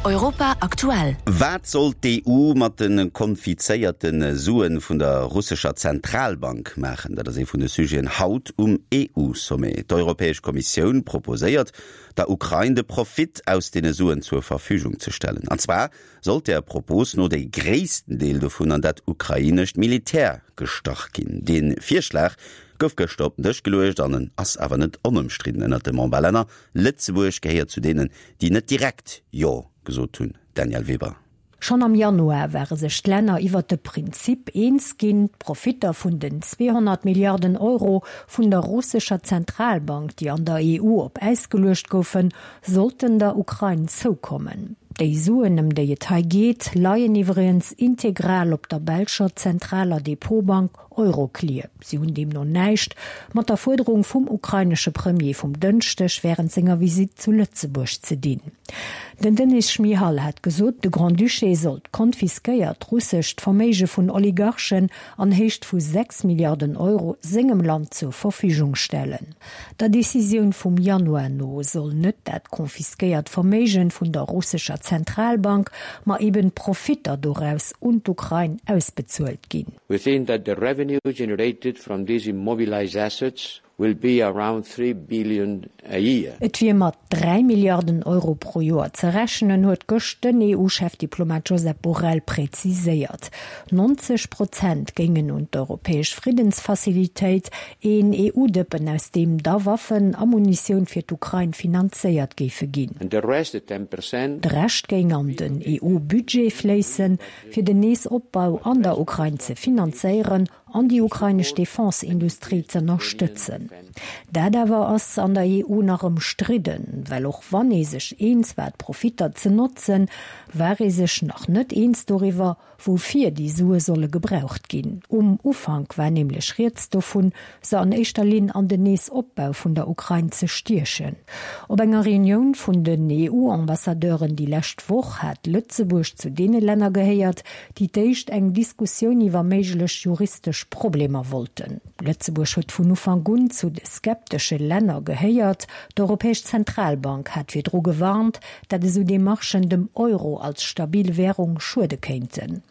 Europa aktuell. Wat soll d'EU mat de konfizéierte Sue vun der russescher Zentralbank maachen? Dat ass ee vun de Sujeten haut um EU-Sommet. D'Europäesch Kommissioun proposéiert, der Ukrain de Profit aus deene Suen zur Verfügung ze stellen. An zwar sollt där Propos no dee gréissten Deel dovun an dat ukrainescht Militär gestach ginn. Dee Virschlag gouf gëschter op den Dësch geluecht an en ass awer net onëmstridden ënnert de Memberlänner. Lëtzebuerg gehéiert zu deenen, déi net direkt Jo gesot hunn, Danièle Weber. Schonn am Januar ware sech d'Länner iwwert de Prinzip eens ginn, d'Profitter vun den 200 Milliarden Euro vun der russescher Zentralbank, déi an der EU op Äis geluecht goufen, sollten der Ukrain zoukommen. Déi Suen, ëm déi et hei geet, leien iwwregens integral op der belscher zentraler Depotbank Euroclear. Si hunn deemno näischt mat der Fuerderung vum ukrainesche Premier vum Dënschdeg wärend senger Visitt zu Lëtzebuerg ze dinn. Den Denys Schmyhal hat gesot, de Grand-Duché sollt d'konfiskéiert russescht Verméige vun Oligarchen an Héicht vu 6 Milliarden Euro sengem Land zur Verfügung stellen. Der Decisioun vum Januar no soll net dat konfiskéiert Verméigen vun der russescher Zentralbank, ma eben d'Profitter doraus un d'Ukrain ausbezuelt ginn. We think that the revenue generated from these immobilized assets will be around 3 billion a year. Et wier mat 3 Milliarden Euro pro Joer ze rechnen, huet gëscht den EU-Chefdiplomat Josep Borrell präziséiert. 90 Prozent géingen un d'Europäesch Friddensfacilitéit, een EU-Dëppen aus deem da Waffen a Munitioun fir d'Ukrain finanzéiert géife ginn. And the rest, the 10 percent. De Rescht géing an den EU-Budget fléissen, fir den Neesopbau an der Ukrain ze finanzéieren an déi ukrainesch Defense-Industrie z'ënnerstëtzen. Dat awer ass an der EU nach ëmstridden, well och wann ee sech eens war d'Profitter ze notzen, war ee sech nach net eens doriwwer, woufir déi Sue solle gebraucht ginn. Um Ufank war nämlech rieds dovun, se an éischter Linn an den Neesopbau vun der Ukrain ze stiechen. Op enger Reunioun vun den EU-Ambassadeuren déi lescht Woch hat Lëtzebuerg zu deene Länner gehéiert, déi d'éischt eng Diskussioun iwwer méiglech juristesch Problemer wollten. Lëtzebuerg huet vun Ufank un zu de skeptesche Länner gehéiert. D'Europäesch Zentralbank hat virdru gewarnt, dat esou Demarchen dem Euro als stabil Wärung schuede kéinten.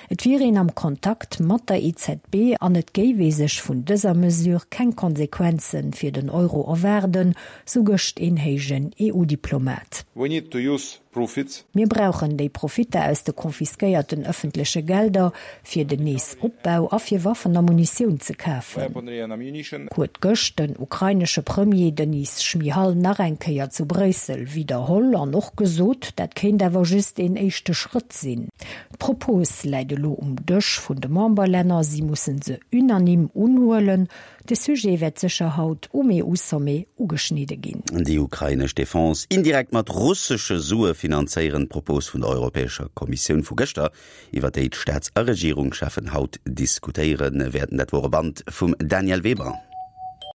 Et wier een am Kontakt mat der EZB an et géif ee sech vun dëser Mesure keng Konsequenze fir den Euro erwaarden, sou gëscht een héijen EU-Diplomat. We need to use profits. Mir brauchen déi Profitter aus de confisquéierten ëffentleche Gelder, fir den Neesopbau a fir Waffen a Munitioun ze kafen, huet gëscht den ukrainesche Premier Denys Schmyhal nach eng Kéier zu Bréissel widderholl an och gesot, dat kéint awer just een éischte Schrëtt sinn. D'Propos läit elo um Dësch vun de Memberlänner, si musse se unanime unhuelen. De Sujet wäert sécher haut um EU-Sommet ugeschnidde ginn. Déi ukrainesch Defense indirekt mat russesche Sue finanzéieren, d'Propos vun der Europäescher Kommissioun vu gëschter, iwwer déi d'Staats a Regierungscheffen haut diskutéiere wäerten. Dat wor e Band vum Danièle Weber.